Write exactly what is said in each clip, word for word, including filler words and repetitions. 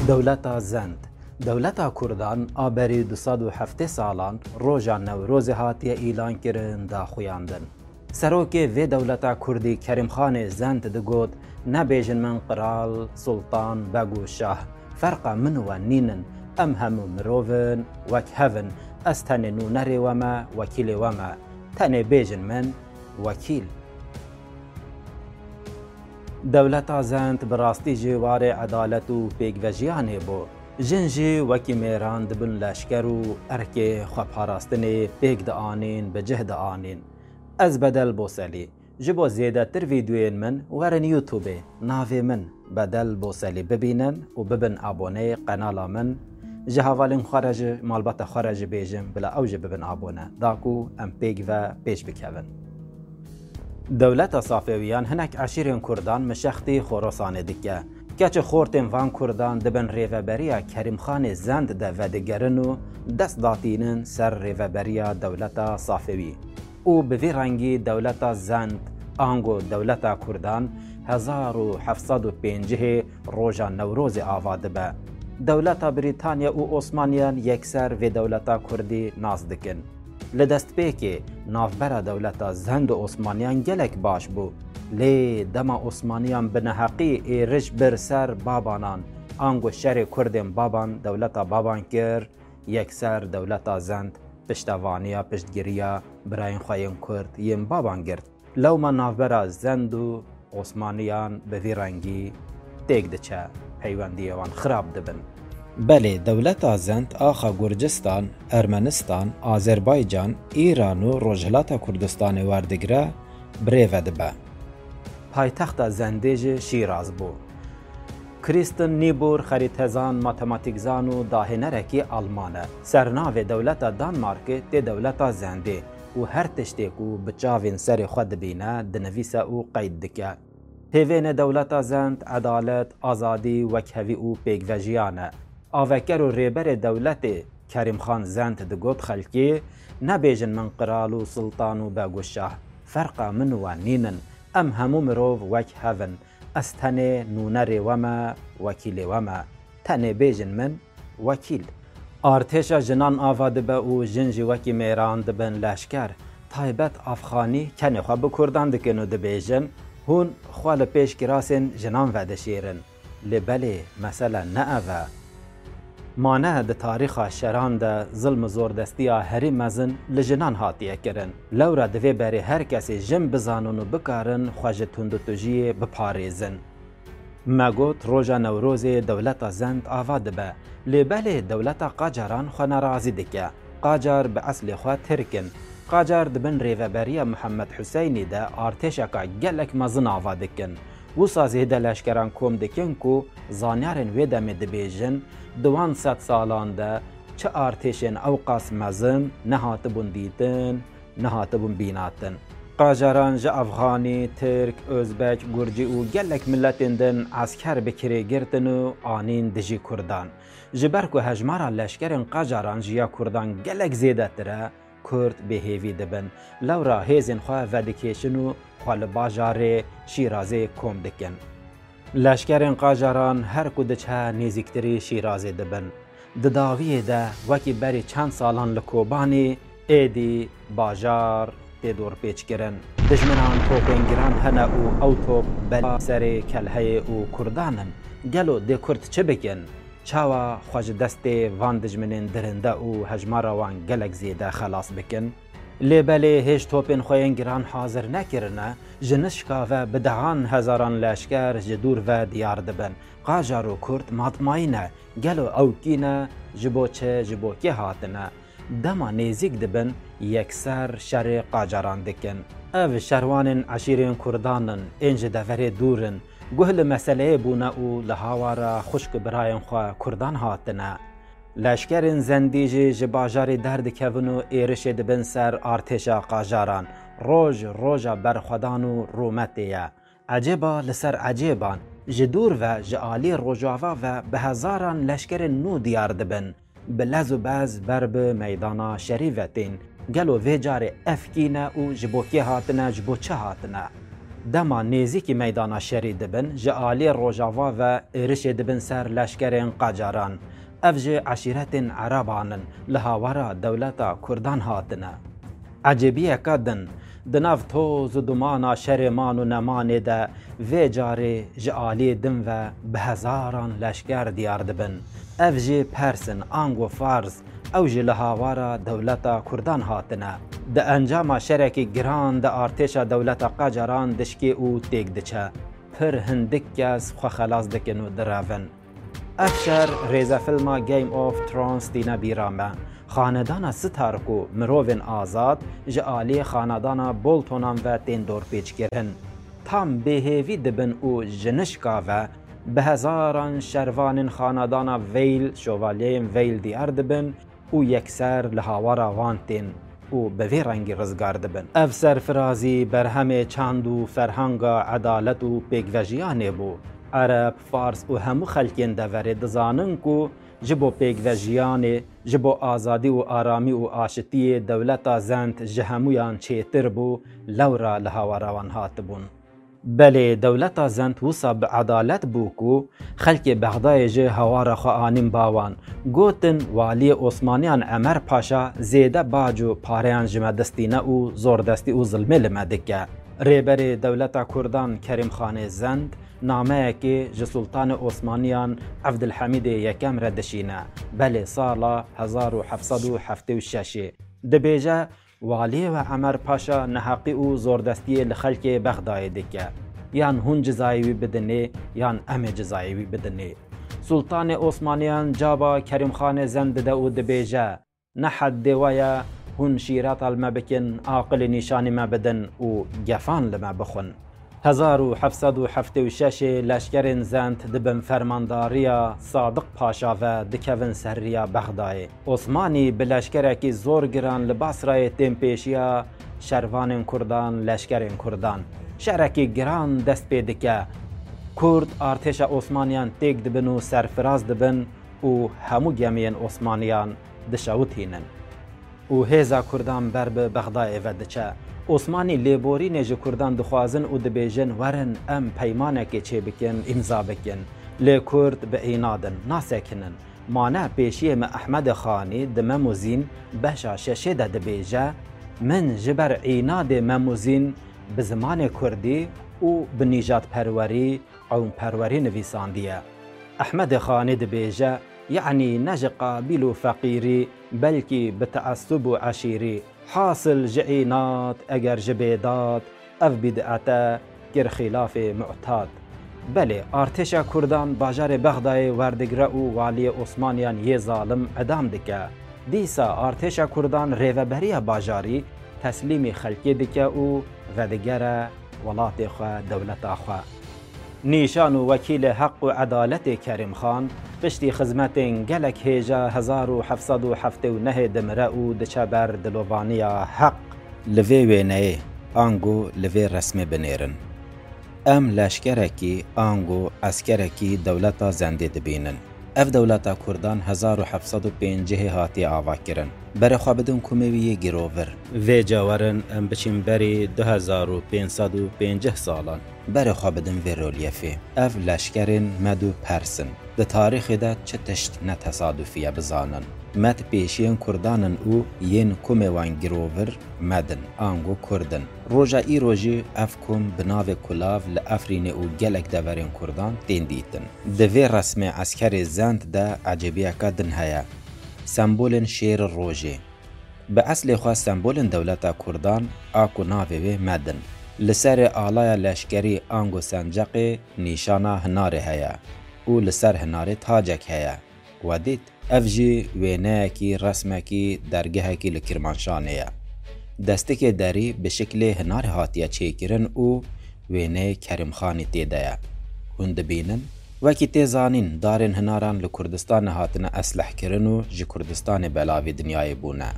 Dewleta Zend. Dewleta Kurdan a berî du sed û heftê salan roja Newrozê hatiye îlankirin, daxuyandin. Serokê vê dewleta Kurdî Kerîmxanê Zend digot, nebêjin min qral, sultan, beg û şah. Ferqa min û we nînin. Em hemû mirov in, wek hev in. Ez tenê nûnerê we me, wekîlê we me. Tenê bêjin min wekîl. Dewleta Zend bi rastî jî warê edalet û pêkvejiyanê bû. Jin jî wekî mêran dibin leşker û erkê xweparastinê pêk dianîn, bi cih dianîn. Ez Bedel Boselî. Ji bo zêdetir vîdeoyên min werin YouTubeê. Navê min Bedel Boselî bibînin û bibin aboneyê qenala min. Ji hevalên xwe re jî, malbata xwe re jî bêjin, bila ew jî bibin abone. Da ku em pêk ve pêş bikevin. Dewleta Safewiyan hinek eşîrên Kurdan mişextî Xorasanê dike. Keçê xortên van Kurdan dibin rêveberiya Kerîmxanê Zend de vedigerin û dest datînin ser rêveberiya dewleta Safewî. Û bi vî rengî dewleta Zend, ango dewleta Kurdan, hezar û heft sed û pêncihê roja Newrozê ava dibe. Dewleta Brîtanya û Osmaniyan yekser vê dewleta Kurdî nas dikin. Li destpêkê navbera dewleta Zend û Osmaniyan gelek baş bû. Lê dema Osmaniyan bi neheqî êriş bir ser Babanan, ango şerê Kurdên Baban dewleta Baban kir, yekser dewleta Zend piştevaniya, piştgiriya birayên xwe yên Kurd yên Baban girt. Lewma navbera Zend û Osmaniyan bi vî rengî têk diçe, peywendiyê wan xirab dibin. Belê, dewleta Zend axa Gurcistan, Ermenistan, Azerbaycan, Îran û Rojhilata Kurdistanê werdigire, bi rê ve dibe. Paytexta Zendê jî Şîraz bû. Kristen Niebuhr xerîtezan, matematîkzan û dahênerekî Alman e. Sernavê dewleta Danmarkê tê dewleta Zendê û her tiştê ku bi çavên serê xwe dibîne, dinivîse û qeyd dike. Pêvênê dewleta Zend edalet, azadî, wekhevî û pêkvejiyan e. Aveker û rêberê dewletê Kerîmxan Zend digot xelkê, nebêjin min qral û sultan û beg û şah. Ferqa min û we nînin. Em hemû mirov wek hev in. Ez tenê nûnerê we me, wekîlê we me. Tenê bêjin min wekîl. Artêşa jinan ava dibe û jin jî wekî mêran dibin leşker. Taybet Afxanî kenê xwe bi Kurdan dikin û dibêjin, hûn xwe li pêş kirasên jinan vedişêrin. Lê belê, mesele ne ev e. Ma ne di tarîxa şeran de zilm û zordestiya herî mezin li jinan hatiye kirin. Lewra divê berê her kesê jin bizanin û bikarin xwe ji tundutujiyê biparêzin. Me got, roja Newrozê dewleta Zend ava dibe. Lê belê dewleta Qacaran xwe nerazî dike. Qacar bi eslê xwe Tirk in. Qacar di bin rêveberiya Mihemed Huseynî de artêşeka gelek mezin ava dikin. Wisa zêde leşkeran kom dikin ku zanyarên wê demê dibêjin, di wan sed salan de çi artêşên ewqas mezin nehatibûn dîtin, nehatibûn bînatin. Qajaran ji Afxanî, Tirk, Ozbek, Gurcî û gelek miletên din esker bi kirê girtin û anîn dijî Kurdan. Ji ber ku hejmara leşkerên Qajaran ji ya Kurdan gelek zêdetir e, Kurd bêhêvî dibin. Lewra hêzên xwe vedikêşin û xwe li bajarê Şîrazê kom dikin. Leşkerên Qajaran her ku diçe nêzîktirî Şîrazê dibin. Di dawiyê de wekî berî çend salan li Kobanê, êdî bajar tê dorpêçkirin. Dijminan topên giran hene û ew top bela serê kelheyê û Kurdan in. Gelo dê Kurd çi bikin? Çawa xwe ji destê van dijminên dirinde û hejmara wan gelek zêde xelas bikin? Lê belê hêj topên xwe yên giran hazir nekirine, ji nişka ve bi dehan hezaran leşker ji dûr ve diyar dibin. Qajar û Kurd matmayî ne. Gelo ew kî ne, ji bo çi, ji bo kê hatine? Dema nêzîk dibin, yekser şerê Qacaran dikin. Ev şerwanên eşîrên Kurdan in, ên ji deverê dûr in. Guh li meseleyê bûne û li hawara xwişk û birayên xwe Kurdan hatine. Leşkerên Zendî jî ji bajarê derdikevin û êrişê dibin ser artêşa Qajaran. Roj roja berxwedan û rûmetê ye. Ecêba li ser ecêban, ji dûr ve, ji alî rojava ve bi hezaran leşkerên nû diyar dibin. Bi lez û bez ber bi meydana şerî ve tên. Gelo vê carê ev kî ne û ji bo kê hatine, ji bo çi hatine? Dema nêzîkî meydana şerî dibin, ji aliyê rojava ve êrişê dibin ser leşkerên qacaran. Ev ji eşîretên Ereban in, li hawara dewleta Kurdan hatine. Ecêbiyeke din, di nav toz û dumana şerê man û nemanê de vê carê ji aliyê din ve bi hezaran leşker diyar dibin. Ev jî Pers in, ango Fars, ew jî li hawara dewleta Kurdan hatine. Di encama şerekî giran de artêşa dewleta qacaran dişkê û têk diçe. Pir hindik kes xwe xelas dikin û direvin. Ev şer rêzefilma Game of Thrones tîne bîra me. Xanedana Stark û mirovên azad ji aliyê xanedana Boltonan ve tên dorpêçkirin. Tam bêhêvî dibin û ji nişka ve bi hezaran şervanên xanedana Vale, şovalyeyên Vale diyar dibin û yekser li hawara wan tên û bi vê rengî rizgar dibin. Ev serfirazî berhemê çand û ferhanga edalet û pêkvejiyanê bû. Ereb, Fars û hemû xelkên deverê dizanin ku ji bo pêkvejiyanê, ji bo azadî û aramî û aşitiyê dewleta Zend ji hemûyan çêtir bû, lewra li hawara wan hatibûn. Belê, dewleta Zend wisa bi edalet bû ku xelkê Bexdayê ji hawara xwe anîn ba wan. Gotin, waliyê Osmaniyan Emer Paşa zêde bac û pareyan ji me distîne û zordestî û zilmê li me dike. Rêberê dewleta Kurdan Kerîmxanê Zend nameyekê ji Sultanê Osmaniyan Evdilhemîdê Yekem re dişîne, belê sala hezar û heft sed û heftê û şeşê. Dibêje, Waliyê we Emer Paşa neheqî û zordestiyê li xelkê Bexdayê dike. Yan hûn cizayê wî bidinê, yan em ê cizayê wî bidinê. Sultanê Osmaniyan caba Kerîmxanê Zend dide û dibêje, ne heddê we ye, hûn şîreta li me bikin, aqilê nîşanî me bidin û gefan li me bixwin. Hezar û heft sed û heftê û şeşê leşkerên Zend di bin fermandariya Sadiq Paşa ve dikevin ser riya Bexdayê. Osmanî bi leşkerekî zor giran li Basrayê tên pêşiya şervanên Kurdan, leşkerên Kurdan. Şerekî giran dest pê dike. Kurd artêşa Osmaniyan têk dibin û serfiraz dibin û hemû gemiyên Osmaniyan dişewitînin. Û hêza Kurdan ber bi Bexdayê ve diçe. Osmanî lêborînê ji Kurdan dixwazin û dibêjin, werin em peymanekê çêbikin, îmza bikin. Lê Kurd bi înad in, nasekinin. Mane pêşiyê me Ehmedê Xanî di Mem û Zîn beşa şeşê de dibêje, min ji ber înadê Mem û Zîn bi zimanê Kurdî û bi nîjadperwerî, qewmperwerî nivîsandiye. Ehmedê Xanî dibêje, yanî ne ji qabîl û feqîrî, belkî bi teessub û eşîrî. Hasil ji înad, eger ji bêdad, ev bîd'et e, kir xîlafê mu'tad. Belê, artêşa Kurdan bajarê Bexdayê werdigre û waliyê Osmaniyan yê zalim edam dike. Dîsa artêşa Kurdan rêveberiya bajarî teslîmî xelkê dike û vedigere welatê xwe, dewleta xwe. Nîşan û wekîlê heq û edaletê Kerîm Xan, piştî xizmetên gelek hêja hezar û heft sed û heftê û nehê dimire û diçe ber dilovaniya heq. Li vê wêneyê ango li vê resmê binêrin. Em leşkerekî ango eskerekî dewleta Zendê dibînin. Ev dewleta Kurdan hezar û heft sed û pêncihê hatiye avakirin. Berê xwe bidin kumê wî yê girovir. Vêca werin em biçin berî du hezar û pênc sed û pêncih salan. Berê xwe bidin vê rolyefê. Ev leşkerên Med û Pers in. Di tarîxê de çi tişt ne tesadufî ye bizanin. Med pêşiyên Kurdan in û yên kumê wan girovir Med in, ango Kurd in. Roja îro jî ev kum bi navê Kulav li Efrînê û gelek deverên Kurdan tên dîtin. Di vê resmê eskerê Zend de ecêbiyeke din heye. Sembolên şêr rojê. Bi eslê xwe sembolên dewleta Kurdan a ku navê wê Med in. Li serê alaya leşkerî ango senceqê nîşana hinarê heye û li ser hinarê tacek heye. We dît? Ev jî wêneyekî, resmekî, dergehekî li Kirmanşanê ye. Destikê derî bi şiklê hinarê hatiye çêkirin û wêneyê Kerîmxanî tê de ye. Hûn dibînin? Wekî tê zanîn, darên hinaran li Kurdistanê hatine eslehkirin û ji Kurdistanê belavî dinyayê bûne.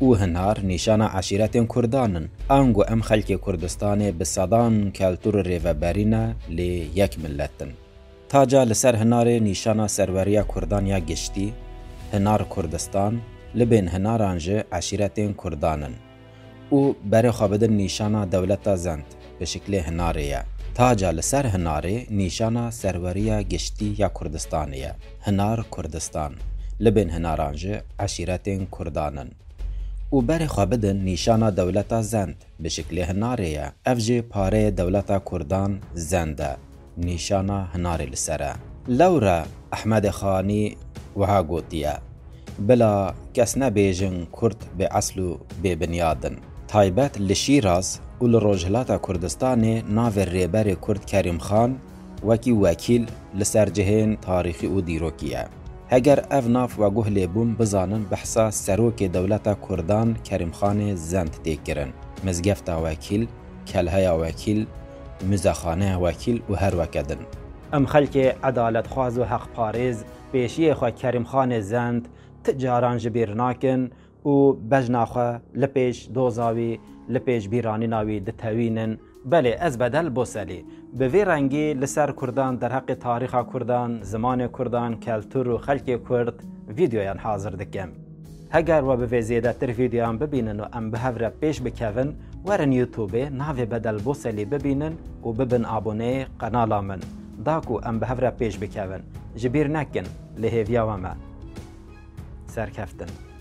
Û hinar nîşana eşîretên Kurdan in. Ango em xelkê Kurdistanê bi sedan keltûr û rêveberî ne, lê yek milet in. Taca li ser hinarê nîşana serweriya Kurdan ya giştî, hinar Kurdistan, libên hinaran jî eşîretên Kurdan in. Û berê xwe bidin nîşana dewleta Zend. bi şiklê hinarê ye. Taca li ser hinarê nîşana serweriya giştî ya Kurdistanê ye. Hinar Kurdistan. Libên hinaran jî eşîretên Kurdan in. Û berê xwe bidin nîşana dewleta Zend, bi şiklê hinarê ye. Ev jî pareyê dewleta Kurdan Zend e. Nîşana hinarê li ser e. Lewre Ehmedê Xanî wiha gotiye, bila kes nebêjin Kurd bê esl û bê binyad in. Taybet li Şîraz û li Rojhilata Kurdistanê navê rêberê Kurd Kerîm Xan wekî wekîl li ser cihên tarîxî û dîrokî ye. Heger ev nav we guh lê bûn, bizanin behsa serokê dewleta Kurdan Kerîm Xanê Zend tê kirin. Mizgefta Wekîl, Kelheya Wekîl, Muzexaneya Wekîl û her weke din. Em xelkê edaletxwaz û heqparêz, pêşiyê xwe Kerîm Xanê Zend ti caran ji bîr nakin û bejna xwe li pêş doza wî, li pêş bîranîna wî ditewînin. Belê, ez Bedel Boselî. Bi vî rengî li ser Kurdan, derheqê tarîxa Kurdan, zimanê Kurdan, keltûr û xelkê Kurd vîdeoyan hazir dikim. Heger we bi vê zêdetir vîdeoyan bibînin û em bi hev re pêş bikevin, werin YouTubeê navê Bedel Boselî bibînin û bibin aboneyê qenala min. Da ku em bi hev re pêş bikevin. Ji bîr nekin, li hêviya we me. Serkeftin.